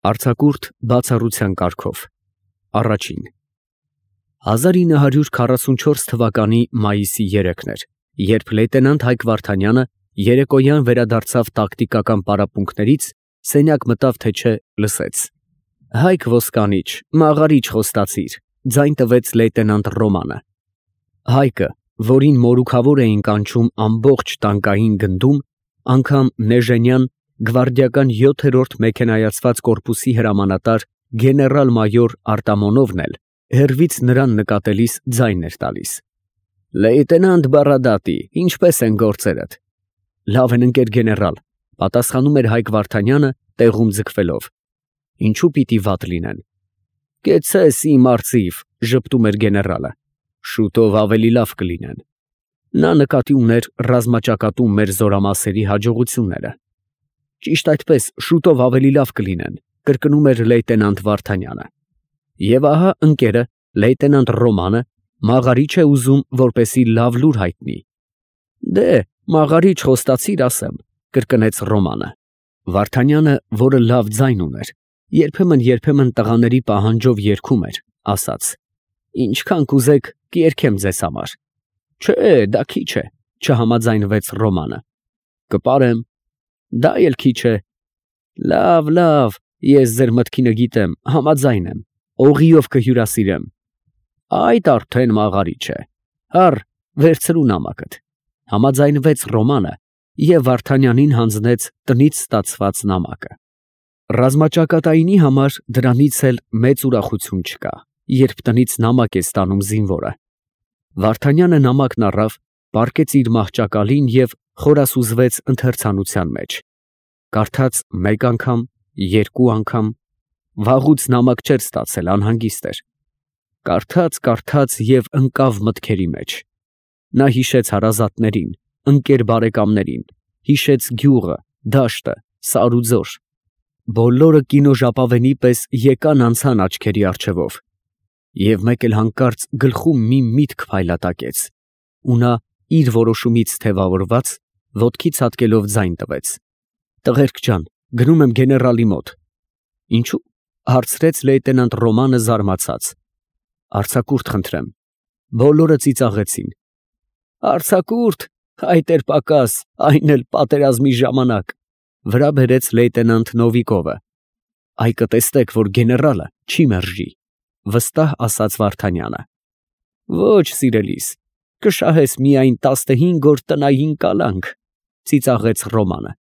Արձակուրդ բացառության կարգով Առաջին 1944 թվականի մայիսի 3-ն էր, երբ լեյտենանտ Հայկ Վարդանյանը երեկոյան վերադարձավ տակտիկական պարապմունքներից, սենյակ մտավ, թե չէ լսեց. Հայկ ոսկանիչ, մաղարիչ խոստացիր, ձայն տվեց լեյտենանտ Ռոմանը։ Հայկը, որին մորուքավոր էին կանչում ամբողջ տանկային գնդում, անգամ Նեժենյան գվարդիական 7-րդ մեքենայացված կորպուսի հրամանատար գեներալ֊մայոր Արտամոնովն էլ հեռվից նրան նկատելիս ձայն էր տալիս. Լեյտենանտ Բարադատի, ինչպե՞ս են գործերդ։ Լավ են, ընկեր գեներալ, պատասխանում էր Հայկ Վարդանյանը տեղում ձգվելով։ Ինչու պիտի վատ լինեն։ Կեցես իմ արծիվ, ժպտում էր գեներալը, շուտով ավելի լավ կլինեն։ Նա նկատի ուներ ռազմաճակատում մեր զորամասերի հաջողությունները։ Ճիշտ այդպես, շուտով ավելի լավ կլինեն, կրկնում էր լեյտենանտ Վարդանյանը։ Եվ ահա ընկերը, լեյտենանտ Ռոմանը, մաղարիչ է ուզում, որպեսի լավ լուր հայտնի։ Դե, մաղարիչ խոստացիր ասեմ, կրկնեց Ռոմանը։ Վարդանյանը, որը լավ ձայն ուներ, երբեմն տղաների պահանջով երգում էր, ասաց. Ինչքան կուզեք, կերգեմ ձեզ համար։ Չէ, դա քիչ է, չհամաձայնվեց Ռոմանը։ Կպարեմ, դա էլ քիչ է։ Լավ, ես ձեր մտքինը գիտեմ, համաձայն եմ, օղիով կհյուրասիրեմ։ Այդ արդեն մաղարիչ է։ Հար, վերցրու նամակդ։ Համաձայնվեց Ռոմանը և Վարդանյանին հանձնեց տնից ստացված նամակը։ Ռազմաճակատայինի համար դրանից էլ մեծ ուրախություն չկա, երբ տնից նամակ է ստանում զինվորը։ Վարդանյանը նամակն առավ, պառկեց իր մահճակալին և խորասուզվեց ընթերցանության մեջ։ Կարդաց մեկ անգամ, երկու անգամ, վաղուց նամակ չէր ստացել, անհանգիստ էր։ Կարդաց և ընկավ մտքերի մեջ։ Նա հիշեց հարազատներին, ընկեր բարեկամներին, հիշեց գյուղը, դաշտը, սարուձոր։ Բոլորը կինոժապավենի պես եկան անցան աչքերի առջևով։ Եվ մեկ էլ հանկարծ գլխում մի միտք փայլատակեց, ու նա իր որոշումից թևավորված, ոտքի ցատկելով ձայն տվեց. Տղերք ջան, գնում եմ գեներալի մոտ։ Ինչու՞, հարցրեց լեյտենանտ Ռոմանը զարմացած։ Արձակուրդ խնդրեմ։ Բոլորը ծիծաղեցին։ Արձակուրդ, այդ էր պակաս, այն էլ պատերազմի ժամանակ, վրա բերեց լեյտենանտ Նովիկովը։ Այ կտեսնեք, որ գեներալը չի մերժի, վստահ ասաց Վարդանյանը։ Ոչ, սիրելիս, կշահես միայն 15 օր տնային կալանք, ծիծաղեց Ռոմանը։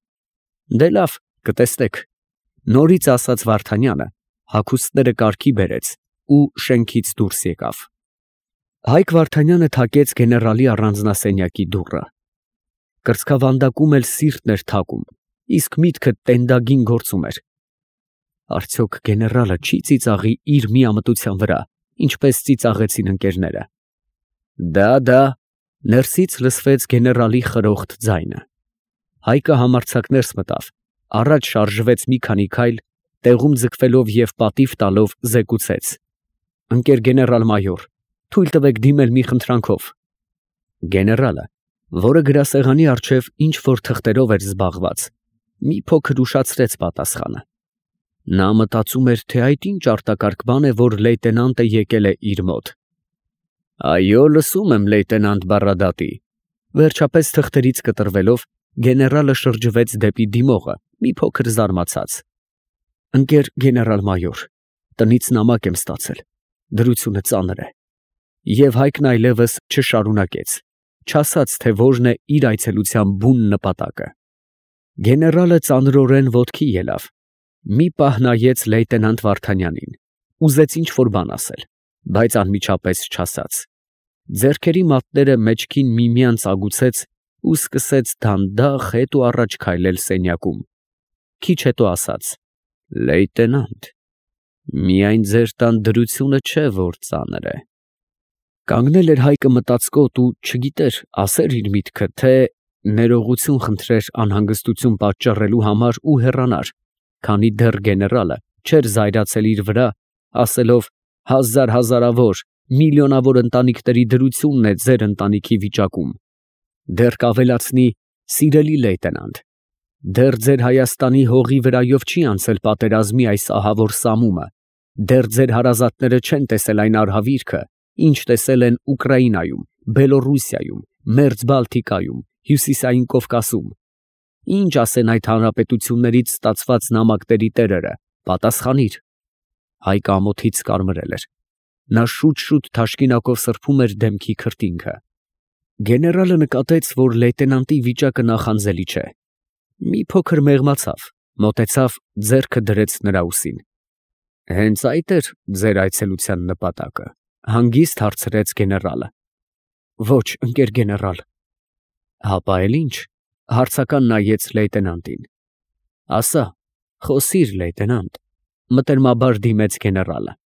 Դե լավ, կտեսնեք, նորից ասաց Վարդանյանը, հագուստները կարգի բերեց ու շենքից դուրս եկավ։ Հայկ Վարդանյանը թակեց գեներալի առանձնասենյակի դուռը։ Կրծքավանդակում էլ սիրտն էր թակում, իսկ միտքը տենդագին գործում էր։ Արդյոք գեներալը չի ծիծաղի իր միամտության վրա, ինչպես ծիծաղեցին ընկերները։ Դա, ներսից լսվեց գեներալի խրոխտ ձայնը։ Հայկը համարձակ ներս մտավ, առաջ շարժվեց մի քանի քայլ, տեղում ձգվելով և պատիվ տալով զեկուցեց. Ընկեր գեներալ֊մայոր, թույլ տվեք դիմել մի խնդրանքով։ Գեներալը, որը գրասեղանի առջև ինչ-որ թղթերով էր զբաղված, մի փոքր ուշացրեց պատասխանը։ Նա մտածում էր, թե այդ ինչ արտակարգ բան է, որ լեյտենանտը եկել է իր մոտ։ Այո, լսում եմ, լեյտենանտ Բարադատի։ Վերջապես թղթերից կտրվելով, գեներալը շրջվեց դեպի դիմողը, մի փոքր զարմացած։ Ընկեր գեներալ-մայոր, տնից նամակ եմ ստացել, դրությունը ծանր է։ Եվ Հայկն այլևս չշարունակեց, չասաց, թե որն է իր այցելության բուն նպատակը։ Գեներալը ծանրորեն ոտքի ելավ, մի պահ նայեց լեյտենանտ Վարդանյանին, ուզեց ինչ-որ բան ասել, բայց անմիջապես չասաց։ Ձեռքերի մատները մեջքին միմյանց ագուցեց ու սկսեց դանդաղ հետ ու առաջ քայլել սենյակում։ Քիչ հետո ասաց. Լեյտենանտ, միայն ձեր տան դրությունը չէ, որ ծանր է։ Կանգնել էր Հայկը մտածկոտ ու չգիտեր ասեր իր միտքը, թե ներողություն խնդրեր անհանգստություն պատճառելու համար ու հեռանար, քանի դեռ գեներալը չէր զայրացել իր վրա, ասելով հազարավոր, միլիոնավոր ընտանիքների դրությունն է ձեր ընտանիքի վիճակում, դեռ կավելացնի սիրելի լեյտենանտ, Դեռ ձեր Հայաստանի հողի վրայով չի անցել պատերազմի այս ահավոր սամումը, դեռ ձեր հարազատները չեն տեսել այն արհավիրքը, ինչ տեսել են Ուկրաինայում, Բելոռուսիայում, Մերձ Բալթիկայում, Հյուսիսային Կովկասում։ Ինչ ասեն այդ հանրապետություններից ստացված նամակների տերերը, պատասխանիր։ Հայկը ամոթից կարմրել էր։ Նա շուտ-շուտ թաշկինակով սրբում էր դեմքի քրտինքը։ Գեներալը նկատեց, որ լեյտենանտի վիճակը նախանձելի չէ։ Մի փոքր մեղմացավ, մոտեցավ, ձեռքը դրեց նրա ուսին։ Հենց այդ էր ձեր այցելության նպատակը, հանգիստ հարցրեց գեներալը։ Ոչ, ընկեր գեներալ։ Հապա էլ ինչ, հարցական նայեց լեյտենանտին։ Ասա, խոսիր, լեյտենանտ, մտերմաբար դիմեց գեներալը։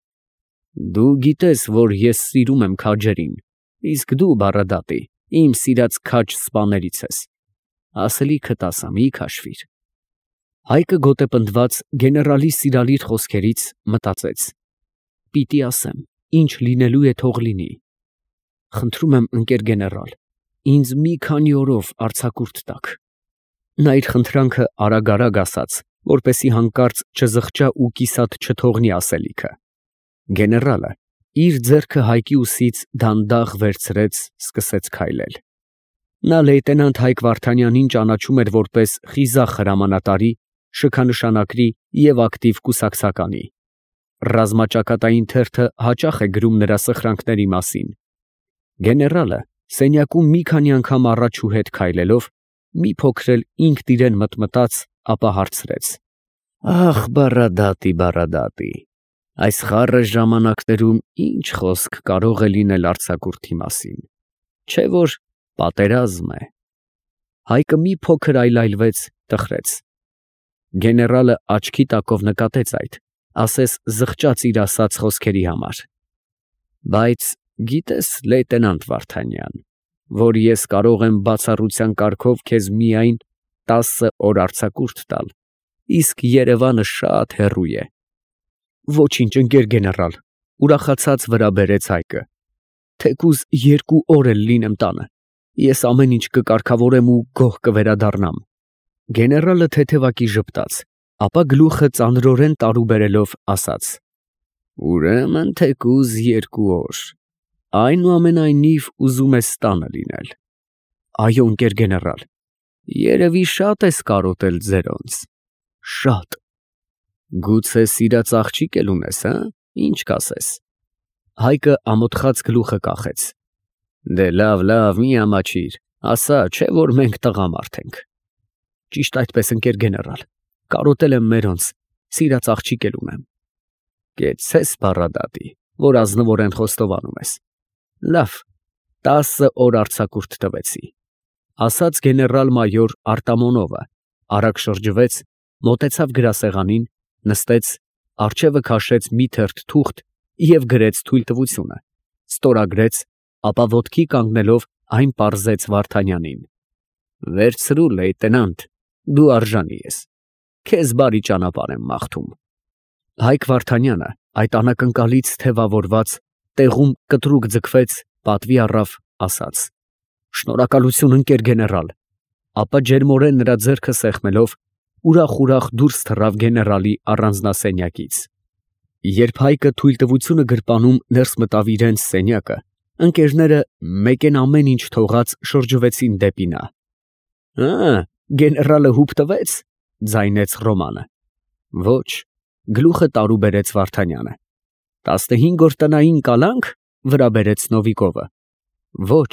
Դու գիտես, որ ես սիրում եմ քաջերին, իսկ դու, Բառադատի, իմ սիրած քաջ սպաներից ես։ Ասելիքդ ասա, մի քաշվիր։ Հայկը գոտեպնդված գեներալի սիրալիր խոսքերից մտածեց. Պիտի ասեմ, ինչ լինելու է թող լինի։ Խնդրում եմ, ընկեր գեներալ, ինձ մի քանի օրով արձակուրդ տաք։ Նա իր խնդրանքը արագ ասաց, որպեսի հանկարծ չզղջա ու կիսատ չթողնի ասելիքը։ Գեներալը իր ձեռքը Հայկի ուսից դանդաղ վերցրեց, սկսեց քայլել։ Նա լեյտենանտ Հայկ Վարդանյանին ճանաչում էր որպես խիզախ հրամանատարի, շքանշանակրի և ակտիվ կուսակցականի։ Ռազմաճակատային թերթը հաճախ է գրում նրա սխրանքների մասին։ Գեներալը սենյակում մի քանի անգամ առաջ ու հետ քայլելով, մի փոքր էլ ինքն իրեն մտմտաց, ապա հարցրեց. Ախ, Բառադատի, այս խառը ժամանակներում ինչ խոսք կարող է լինել արձակուրդի մասին, չէ որ պատերազմ է։ Հայկը մի փոքր այլայլվեց, տխրեց։ Գեներալը աչքի տակով նկատեց այդ, ասես զղջաց իր ասած խոսքերի համար։ Բայց գիտես, լեյտենանտ Վարդանյան, որ ես կարող եմ բացառության կարգով քեզ միայն 10 օր արձակուրդ տալ, իսկ Երևանը շատ հեռու է։ Ոչինչ, ընկեր գեներալ, ուրախացած վրա բերեց Հայկը։ Թեկուզ 2 օր էլ լինեմ տանը, ես ամեն ինչ կկարգավորեմ ու գոհ կվերադառնամ։ Գեներալը թեթևակի ժպտաց, ապա գլուխը ծանրորեն տարուբերելով ասաց. Ուրեմն թեկուզ 2 օր, այնուամենայնիվ ուզում ես տանը լինել։ Այո, ընկեր գեներալ, երևի շատ ես կարոտել ձերոնց։ Շատ։ Գուցե սիրած աղջիկ էլ ունես, հա՞, ինչ կասես։ Հայկը ամոթխած գլուխը կախեց։ Դե լավ, մի ամաչիր, ասա, չէ որ մենք տղամարդ ենք։ Ճիշտ այդպես, ընկեր գեներալ, կարոտել եմ մերոնց, սիրած աղջիկ էլ ունեմ։ Կեցցես, Բառադատի, որ ազնվորեն խոստովանում ես։ Լավ, 10 օր արձակուրդ տվեցի, ասաց գեներալ֊մայոր Արտամոնովը, արագ շրջվեց, մոտեցավ գրասեղանին, նստեց, առջևը քաշեց մի թերթ թուղթ և գրեց թույլտվությունը, ստորագրեց, ապա ոտքի կանգնելով այն պարզեց Վարդանյանին։ Վերցրու, լեյտենանտ, դու արժանի ես, քեզ բարի ճանապարհ եմ մաղթում։ Հայկ Վարդանյանը այդ անակնկալից թևավորված, տեղում կտրուկ ձգվեց, պատվի առավ, ասաց. Շնորհակալություն, ընկեր գեներալ, ապա ջերմորեն նրա ձեռքը սեղմելով, ուրախ դուրս թռավ գեներալի առանձնասենյակից։ Երբ Հայկը թույլտվությունը գրպանում ներս մտավ իրենց սենյակը, ընկերները մեկեն ամեն ինչ թողած շրջվեցին դեպի նա։ Գեներալը հուպ տվեց, ձայնեց Ռոմանը։ Ոչ, գլուխը տարուբերեց Վարդանյանը։ 15 օր տնային կալանք, վրա բերեց Նովիկովը։ Ոչ,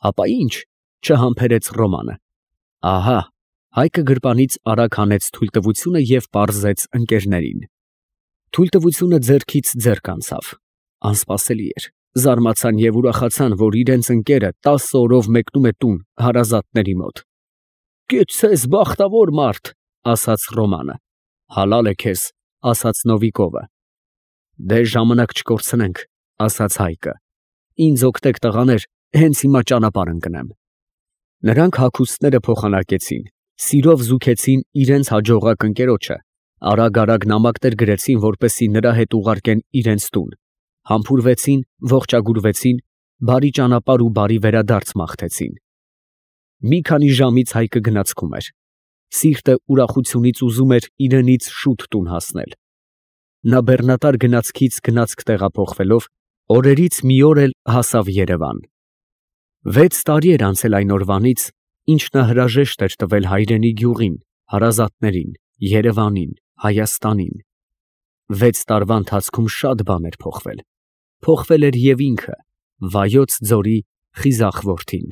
ապա ինչ, չհամբերեց Ռոմանը։ Ահա, Հայկը գրպանից արագ հանեց թույլտվությունը և պարզեց ընկերներին։ Թույլտվությունը ձեռքից ձեռք անցավ։ Անսպասելի էր, զարմացան և ուրախացան, որ իրենց ընկերը 10 օրով մեկնում է տուն հարազատների մոտ։ Կեցցես, բախտավոր մարդ, ասաց Ռոմանը։ Հալալ է քեզ, ասաց Նովիկովը։ Դե ժամանակ չկորցնենք, ասաց Հայկը։ Ինձ օգնեք տղաներ, հենց հիմա ճանապարհ ընկնեմ։ Նրանք հագուստները փոխանակեցին, սիրով զուգեցին իրենց հաջողակ ընկերոջը, արագ նամակներ գրեցին, որպեսզի նրա հետ ուղարկեն իրենց տուն, համբուրվեցին, ողջագուրվեցին, բարի ճանապարհ ու բարի վերադարձ մաղթեցին։ Մի քանի ժամից Հայկը գնացքում էր։ Սիրտը ուրախությունից ուզում էր իրենից շուտ տուն հասնել։ Նա բեռնատար գնացքից գնացք տեղափոխվելով, օրերից մի օր էլ հասավ Երևան։ 6 տարի էր անցել այն օրվանից, ինչ նա հրաժեշտ էր տվել հայրենի գյուղին, հարազատներին, Երևանին, Հայաստանին։ 6 տարվա ընթացքում շատ բան էր փոխվել։ Փոխվել էր և ինքը, Վայոց ձորի խիզախ որդին։